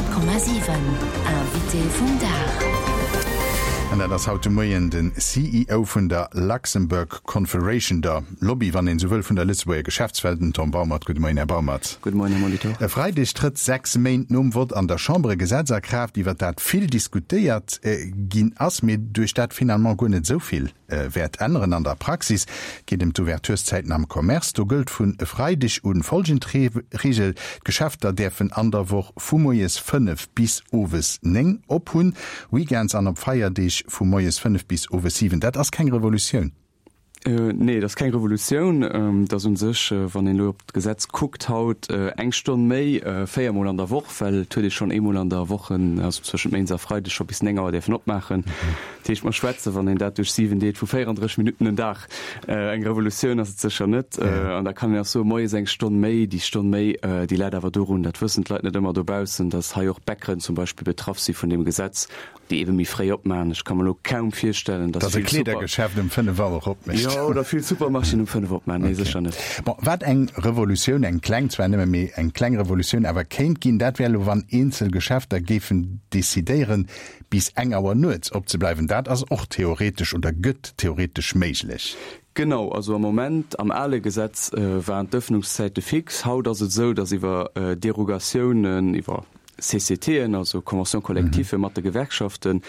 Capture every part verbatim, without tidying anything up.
Honnert Komma siwen, Invité vum Dag. An dat ass haut de Moien den C E O vun der Luxembourg Confederation, der Lobby, wann een esou wëll, vun der Lëtzebuerger Geschäftswelt, den Tom Baumert. Gudde Moien, Här Baumert. Gudde Moien, Här Molitor. E Freideg trëtt, sechs Méint nom Vott an der Chamber, e Gesetz a Kraaft, iwwer dat vill diskutéiert ginn ass, mee duerch dat finalement guer net esou vill wäert änneren an der Praxis. Geet ëm d'Ouvertureszäiten am Commerce. Do gëllt vun e Freideg un folgend Reegel, D'Geschäfter däerfen an der Woch vu moies fënnef bis owes néng op hunn, weekends an op Feierdeeg vu moies fënnef bis owes siwen. Dat ass keng Revolutioun. Nee, dat ass keng Revolutioun. Dat ass u sech, wann een elo op d'Gesetz kuckt haut, eng Stonn méi, véier Mol an der Woch, well et huet ee schonn eemol an der Woch, also zwëschent Méindes a Freideg, scho bis néng Auer däerfen opmaachen. Dat heescht, mer schwätzen, wann een dat duerch siwen deelt, vu véierandrësseg Minutten en Dag. Eng Revolutioun ass et sécher net. An da kann een och soen, moies eng Stonn méi, déi Stonn méi, déi läit awer dorun, dat wëssen d'Leit net ëmmer dobaussen, datt hei och Bäckeren zum Beispill betraff si vun deem Gesetz, déi ebe méi fréi opmaachen. Ech ka mer elo kaum virstellen, dass vill Super. Dass e Kleedergeschäft um fënnef Auer opmécht. Jo, oder vill Supermarchéen um fënnef opmaachen. Nee, sécher net. Bon, wat eng Revolutioun, eng kleng zwar nëmme, mee eng kleng Revolutioun awer kéint ginn, dat wär elo, wann eenzel Geschäfter géifen decidéieren, bis eng Auer nuets opzebleiwen. Dat ass och theoretesch oder gëtt theoretesch méiglech. Genau, also am Moment, am ale Gesetz waren d'Ëffnungszäite fix. Haut ass et esou, dass iwwer Derogatiounen, iwwer C C Ten, also Conventions collectives mat de Gewerkschaften,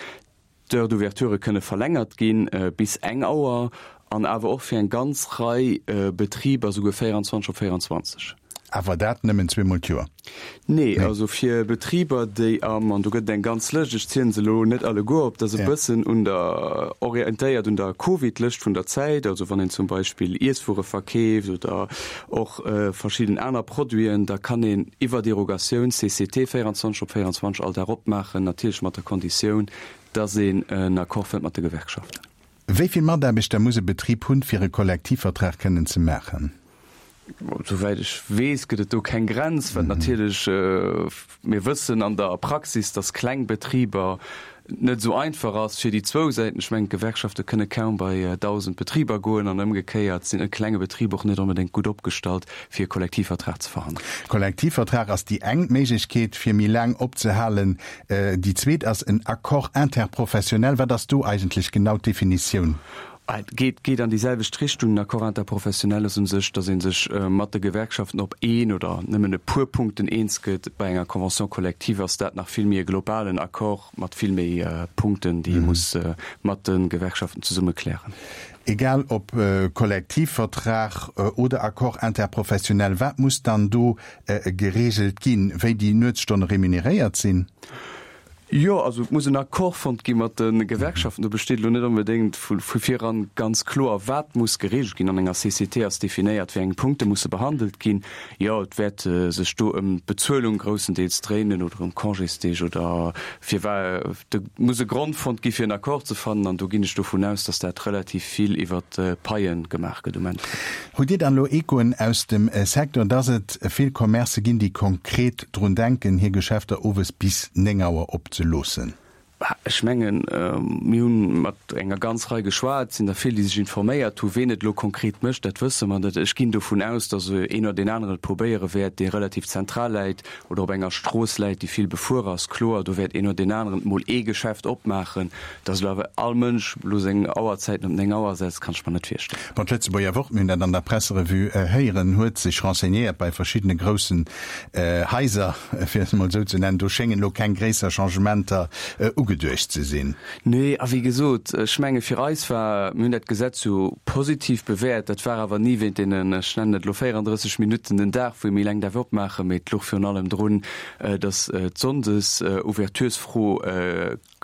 d'Heures d'ouverture kënne verlängert ginn bis eng Auer an awer och fir eng ganz Rei Betriber souguer véierundzwanzeg op véierundzwanzeg. Awer dat nëmmen zweemol d'Joer? Nee, also fir Betriber, déi am, an do gëtt et eng ganz Lëscht, ech zielen se elo net alleguer op, dat ass e bëssen un der, orientéiert un der Covid-Lëscht vun der Zäit, also wann een zum Beispill Iesswuere verkeeft oder och verschidden aner Produiten, da kann een iwwer Derogatioun C C T véierundzwanzeg op véierundzwanzeg all Dag opmaachen, natierlech mat der Konditioun, dass een en Accord fënnt mat de Gewerkschaften. Wéi vill Mataarbechter muss e Betrib hunn, fir e Kollektivvertrag kënnen ze maachen? Souwäit ech weess, gëtt et do keng Grenz, well natierlech mir wëssen an der Praxis, dass kleng Betriber net esou einfach ass fir déi zwou Säiten. Ech mengen, d'Gewerkschafte kënne kaum bei dausend Betriber goen an ëmgekéiert sinn e klenge Betrib och net onbedéngt gutt opgestallt, fir e Kollektivvertrag ze verhandelen. Kollektivvertrag ass déi eng Méiglechkeet, fir méi laang opzehalen. Déi zweet ass en Accord interprofessionnel. Wat ass do eigentlech genau d'Definitioun? Et geet geet an déi selwecht Richtung. En Accord interprofessionnel ass u sech, datt ee sech mat de Gewerkschaften op een oder nëmmen e puer Punkten eens gëtt. Bei enger Convention collective ass dat nach vill méi e globalen Accord mat vill méi Punkten, déi ee muss mat de Gewerkschaften zesumme klären. Egal ob Kollektivvertrag oder Accord interprofessionnel, wat muss dann do gereegelt ginn? Wéi déi Nuetsstonne remuneréiert sinn? Jo, also et muss en Accord fonnt gi mat de Gewerkschaften. Do besteet elo net onbedéngt vu viran ganz kloer, wat muss gereegelt ginn. An enger C C T ass definéiert, wéi eng Punkte musse behandelt ginn. Jo, et wäert sech do ëm d'Bezuelung groussendeels dréinen oder ëm Congésdeeg oder firwat. Do muss e Grond fonnt gi fir en Accord ze fannen an do ginn ech dovun aus, datt dat relativ vill iwwert d'Paie gemaach gëtt um Endeffekt. Hutt Dir dann elo Echoen aus dem Secteur, datt et vill Commercë ginn, déi konkret drun denken, hir Geschäfter owes bis néng Auer op ze loossen? Ech mengen, mir hu mat enger ganz Rei geschwat, et sinn der vill, déi sech informéiert hu. Ween et elo konkret mécht, dat wësse mer net. Ech ginn dovun aus, datt een oder deen aneren et probéiere wäert, dee relativ zentral läit oder op enger Strooss läit, déi vill befuer ass. Kloer, do wäert een oder deen aneren emol ee Geschäft opmaachen. Datt elo awer all Mënsch elo seng Auerzäiten op néng Auer setzt, kann ech mer net virstellen. Bon, d'Lëtzebuerger Wort, mir hunn dat an der Presserevue héieren, huet sech renseignéiert bei verschiddene groussen Haiser, fir et emol esou ze nennen. Do schéngen elo keng gréisser Changementer ugeduecht ze sinn. Nee, a wéi gesot, ech menge fir eis war, mir hunn dat Gesetz jo positiv bewäert, dat war awer ni wéint deenen, ech nennen et elo véierandrësseg Minutten den Dag, wou ee méi laang däerf opmaachen, mee et louch virun allem drun, datt d'Sonndes-Ouverturesfro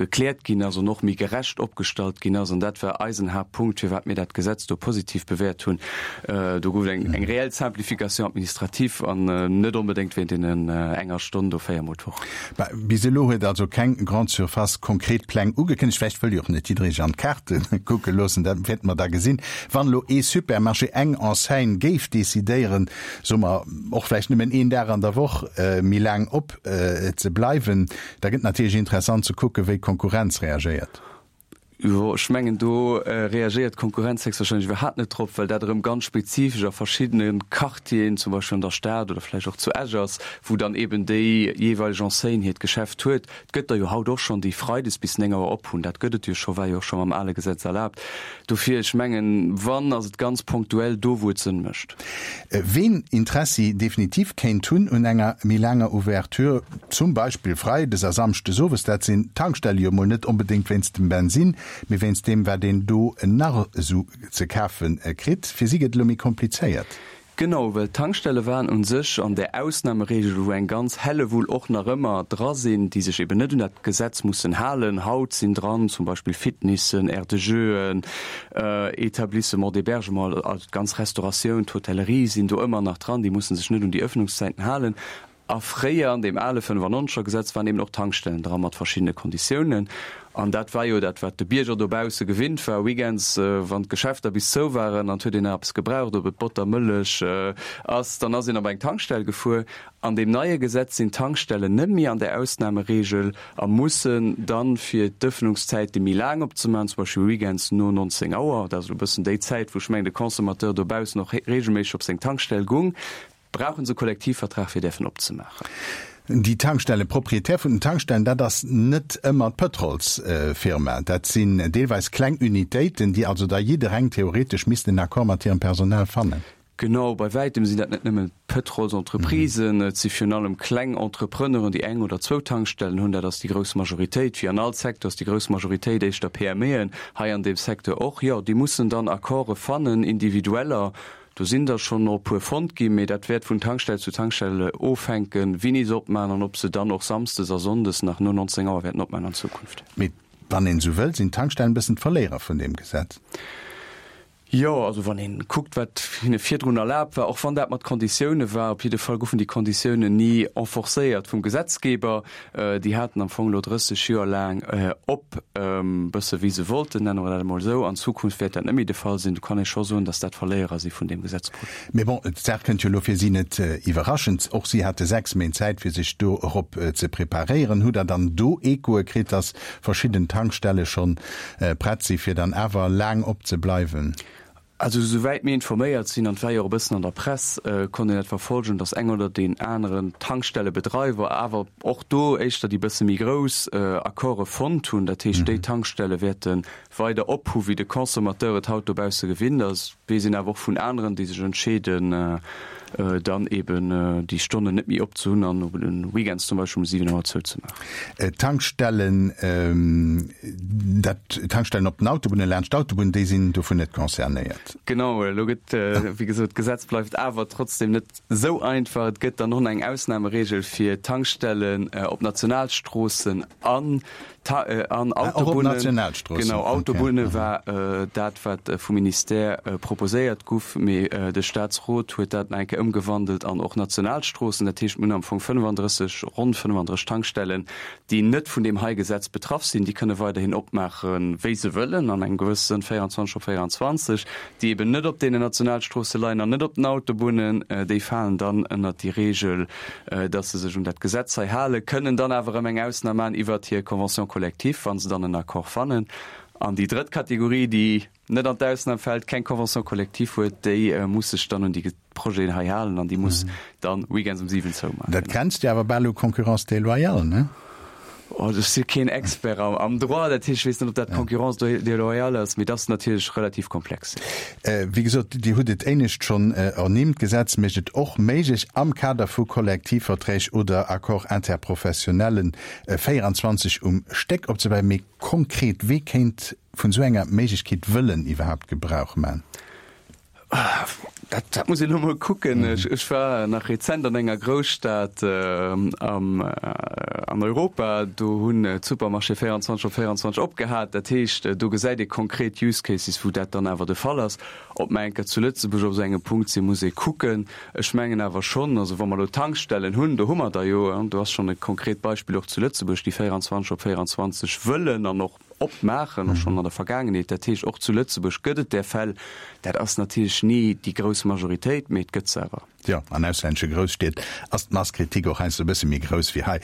gekläert ginn ass an och méi gerecht opgestallt ginn ass. An dat war eisen Haaptpunkt, firwat mir dat Gesetz do positiv bewäert hunn. Do gouf et eng eng reell Simplification administrative an net onbedéngt wéint deenen enger Stonn do véiermol d'Woch. Bis elo huet also keng Grande Surface konkret Pläng ugekënnegt. Vläicht wëll jo och net jidderee sech an d'Kaarte kucke loossen, dat wäerte mer da gesinn. Wann elo ee Supermarché, eng Enseigne géif decidéieren, soe mer, och vläicht nëmmen een Dag an der Woch méi laang op ze bleiwen, da gëtt natierlech interessant ze kucken, wéi d'Konkurrenz reagéiert. Jo, ech mengen do reagéiert d'Konkurrenz héchstwahrscheinlech iwwerhaapt net drop, well dat erëm ganz spezifesch a verschiddene Quartieren, zum Beispill an der Stad oder vläicht och zu Esch ass, wou dann eben déi jeeweileg Enseigne hiert Geschäft huet. Et gëtt der jo haut och schonn, déi freides bis néng Auer op hunn. Dat gëtt et jo scho, war jo och scho mam ale Gesetz erlaabt. Dofir, ech mengen, wann, ass et ganz ponktuell do, wou et Sënn mécht. Ween Interessi definitiv kéint hunn un enger méi laanger Ouverture, zum Beispill freides a samschdes owes, dat sinn d'Tankstelle jo emol net onbedéngt wéinst dem Bensin, mee wéinst deem, wat een do nach esou ze kafe kritt. Fir si gëtt et elo méi komplizéiert. Genau, well d'Tankstelle waren u sech an där Ausnameregel, wou eng ganz Hellewull och nach ëmmer dra sinn, déi sech eben net un dat Gesetz mussen halen. Haut sinn dran zum Beispill Fitnessen, Aires de jeuxen, Établissements d'hébergement, also d'ganz Restauratioun, d'Hotellerie sinn do ëmmer nach dran, déi musse sech net un déi Öffnungszäiten halen. A fréier an deem ale fënnefannonzeger Gesetz waren eben och Tankstellen dra mat verschiddene Konditiounen. An dat war jo dat, wat de Bierger dobausse gewinnt war, weekends, wann d'Geschäfter bis zou waren an et huet een nach eppes gebraucht, ob et Botter, Mëllech ass, dann ass een op eng Tankstell gefuer. An deem neie Gesetz sinn d'Tankstellen net méi an där Ausnameregel a mussen dann, fir d'Ëffnungszäite méi laang opzemaachen, zum Beispill weekends no nonzéng Auer, dat ass elo e bëssen déi Zäit, wou ech mengen de Consommateur dobaussen och regelméisseg op seng Tankstell gung, Brauchen se e Kollektivvertrag fir däerfen opzemaachen? Déi Tankstellen, Propriétaire vun den Tankstellen, dat ass net ëmmer d'Pëtrolsfirma. Dat sinn deelweis kleng Unitéiten, déi also da jiddereng theoretesch missten en Accord mat hirem Personal fannen. Genau, bei wäitem sinn dat net nëmmen d'Pëtrolsentreprisen, et si virun allem kleng Entrepreneuren, déi eng oder zwou Tankstellen hunn. Dat ass déi grouss Majoritéit. Wéi an all Secteur ass déi grouss Majoritéit éischter PMEen, hei an deem Secteur och. Jo, déi mussen dann Accorde fannen, individueller. Do sinn der schonn e puer fonnt ginn, mee dat wäert vun Tankstell zu Tankstell ofhänken, wéini se opmaachen an ob se dann och samsdes a sonndes nach no neunzehn Auer wäerten opmaachen an Zukunft. Mee wann een esou wëllt, sinn d'Tankstellen e bëssen d'Verléierer vun deem Gesetz. Jo, also wann ee kuckt, wat hinne virdrun erlaabt war, och wann dat mat Konditioune war, op jidde Fall goufen déi Konditiounen ni enforcéiert vum Gesetzgeber. Déi haten am Fong elo drësseg Joer laang op, bësse wéi se wollten, nenne mer dat emol esou. An Zukunft wäert dat net méi de Fall sinn. Do kann ee scho soen, datt dat Verléierer si vun deem Gesetzprojet. Mee bon, d'Saach kënnt jo elo fir si net iwwerraschend. Och si hate sechs Méint Zäit, fir sech dorop ze preparéieren. Hutt Der dann do Echoe kritt, datt verschidden Tankstelle schonn prett si fir dann awer laang opzebleiwen? Also esouwäit mir informéiert sinn, an et war jo och e bëssen an der Press, konnt een dat verfolgen, datt eng oder deen aneren Tankstellebedreiwer, awer och do éischter déi bësse méi grouss, Accorde fonnt hunn. Dat heescht, déi Tankstelle wäerte weider op hu wéi de Consommateur et haut dobausse gewinnt ass. Weess een awer och vun aneren, déi sech entscheeden, dann eben déi Stonnen net méi opzehunn an op de Weekends zum Beispill um siwen Auer zouzemaachen. D'Tankstellen, dat d'Tankstellen op den Autobunnen, laanscht d'Autobunn, déi sinn dovun net concernéiert. Genau, elo gëtt, wéi gesot, d'Gesetz bleift awer trotzdem net esou einfach. Et gëtt dann och nach eng Ausnahmeregel fir Tankstellen op Nationalstroossen an an Autobunnen. Genau, Autobunne war dat, wat vum Ministère proposéiert guff, mee de Statsrot huet dat nach eng Kéier ëmgewandelt an och Nationalstroossen. Dat heescht, mir hunn am Fong fënnefandrësseg, ronn fënnefandrësseg Tankstellen, déi net vun deem hei Gesetz betraff sinn. Déi kënne weiderhin opmaachen, wéi se wëllen, an engem gewësse Sënn véierundzwanzeg op véierundzwanzeg. Déi eben net op deenen Nationalstroosse leien an net op den Autobunnen, déi falen dann ënnert déi Regel, dass se sech un dat Gesetz hei halen, kënnen dann awer erëm eng Ausnam maachen iwwert hir Convention collective, wa se dann en Accord fannen. An déi drëtt Kategorie, déi net an d'Ausnam fält, keng Convention collective huet, déi muss sech dann un déi Projeten hei halen an déi muss dann weekends um siwen zoumaachen. Dat grenzt jo awer bal u Concurrence déloyale, ne? Oh, ech si keen Expert am Droit, dat heescht, ech weess net, ob dat Concurrence déloyale ass, mee dat ass natierlech relativ komplex. Wéi gesot, Dir hutt et éinescht schonn ernimmt, D'Gesetz mécht et och méiglech, am Kader vu Kollektivverträg oder Accords interprofessionnellen véierundzwanzeg um Stéck opzebleiwen. Mee konkret, wee kéint vun esou enger Méiglechkeet wëllen iwwerhaapt Gebrauch man? Dat, dat muss een elo mol kucken. Ech, ech war nach rezent an enger Grousstad am, an Europa, do hunn d'Supermarchéë véierundzwanzeg op véierundzwanzeg opgehat. Dat heescht, do gesäit ee konkret Use Cases, wou dat dann awer de Fall ass. Ob mer eng Kéier zu Lëtzebuerg op esou engem Punkt sinn, muss ee kucken. Ech mengen awer schonn, also wa mer elo Tankstellen hunn, do hu mer der jo, do ass schonn e konkret Beispill och zu Lëtzebuerg, déi véierundzwanzeg op véierundzwanzeg wëllen an och opmaachen, och schonn an der Vergaangenheet. Dat heescht, och zu Lëtzebuerg gëtt et där Fäll. Dat ass natierlech ni déi grouss Majoritéit, mee et gëtt se awer. Jo, an auslännesche Grousstied ass d'Mass critique och heiansdo e bësse méi grouss wéi hei.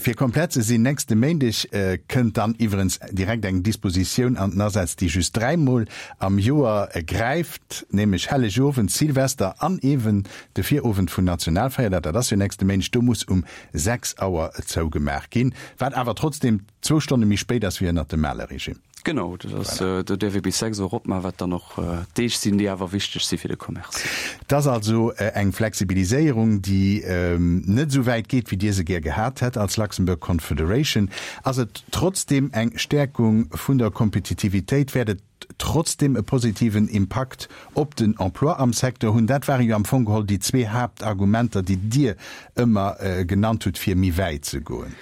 Fir komplett ze sinn, nächste Méindeg kënnt dann iwwerens direkt eng Dispositioun an den Asaz, déi just dräimol am Joer gräift, nämlech Hellegowend, Silvester an eeben de Virowend vun Nationalfeierdag, dat ass jo nächste Méindeg, do muss um sechs Auer zougemaach ginn, wat awer trotzdeem zwou Stonne méi spéit ass wéi ënnert dem ale Regime. Genau, dat ass, do däerf ee bis sechs Auer opmaachen, wat dann och Deeg sinn, déi awer wichteg si fir de Commerce. Et ass also eng Flexibiliséierung, déi net esou wäit geet, wéi Dir se gär gehat hätt als Luxembourg Confederation. Ass et trotzdeem eng Stäerkung vun der Kompetitivitéit? Wäert et trotzdeem e positiven Impakt op den Emploi am Secteur hunn? Dat ware jo am Fong geholl déi zwee Haaptargumenter, déi Dir ëmmer genannt hutt, fir méi wäit ze goen.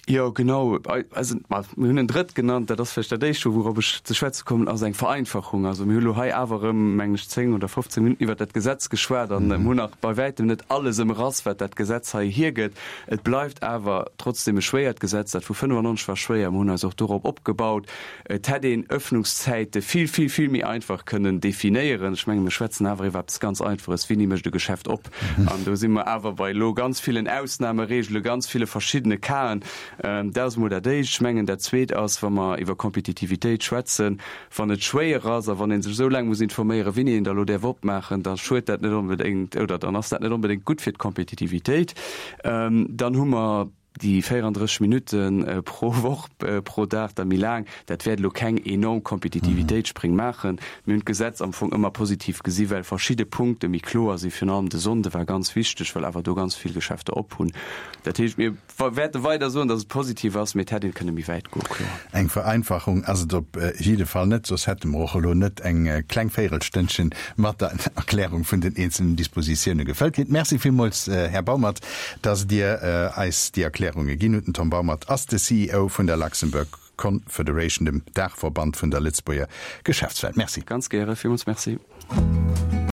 Jo, genau. Also, ma mir hunn en drëtt genannt, dat ass vläicht dat éischt, wourop ech ze schwätze kommen, ass eng Vereinfachung. Also mir hu lo hei awer erëm, mengen ech, zéng oder fofzéng Minutten iwwert dat Gesetz geschwat an mir hunn nach bei wäitem net alles ëmrass, wat dat Gesetz hei hiergëtt. Et bleift awer trotzdeem e schwéiert Gesetz. Dat vu fënnefannonzeg war schwéier. Mir hunn eis och dorop opgebaut. Et hätt een Öffnungszäite vill, vill, vill méi einfach kënnen definéieren. Ech mengen, mir schwätzen awer iwwer eppes ganz Einfaches, Wéini mécht e Geschäft op? An do si mer awer bei elo ganz villen Ausnahmeregele, ganz ville verschiddene Casen. Dat ass emol dat Éischt. Ech mengen, dat Zweet ass, wa mer iwwer Kompetitivitéit schwätzen, wann et schwéier ass a wann ee sech esou laang muss informéieren, wéini een da elo däerf opmaachen, da schuet dat net onbedéngt oder dann ass dat net onbedéngt gutt fir d'Kompetitivitéit. Dann hu mer déi véierandrësseg Minutte pro Woch, pro Dag da méi laang. Dat wäert elo keng enorm Kompetitivitéitsspréng maachen. Mir hunn d'Gesetz am Fong ëmmer positiv gesi well verschidde Punkte méi kloer sinn. Virun allem de Sonnde war ganz wichteg, well awer do ganz vill Geschäfter op hunn. Dat heescht, mir wäerte weider soen, datt et positiv ass, mee et hätt een kënne méi wäit goen, kloer. Eng Vereinfachung ass et op jidde Fall net, soss hätte mer och elo net eng kleng Véirelstënnchen mat der Erklärung vun den eenzelnen Dispositioune gefëllt kritt. Merci villmools, Här Baumert, datt Dir eis déi Erklärunge ginn hutt. Den Tom Baumert ass de C E O vun der Luxembourg Confederation, dem Daachverband vun der Lëtzebuerger Geschäftswelt. Merci. Ganz gäre, villmools Merci.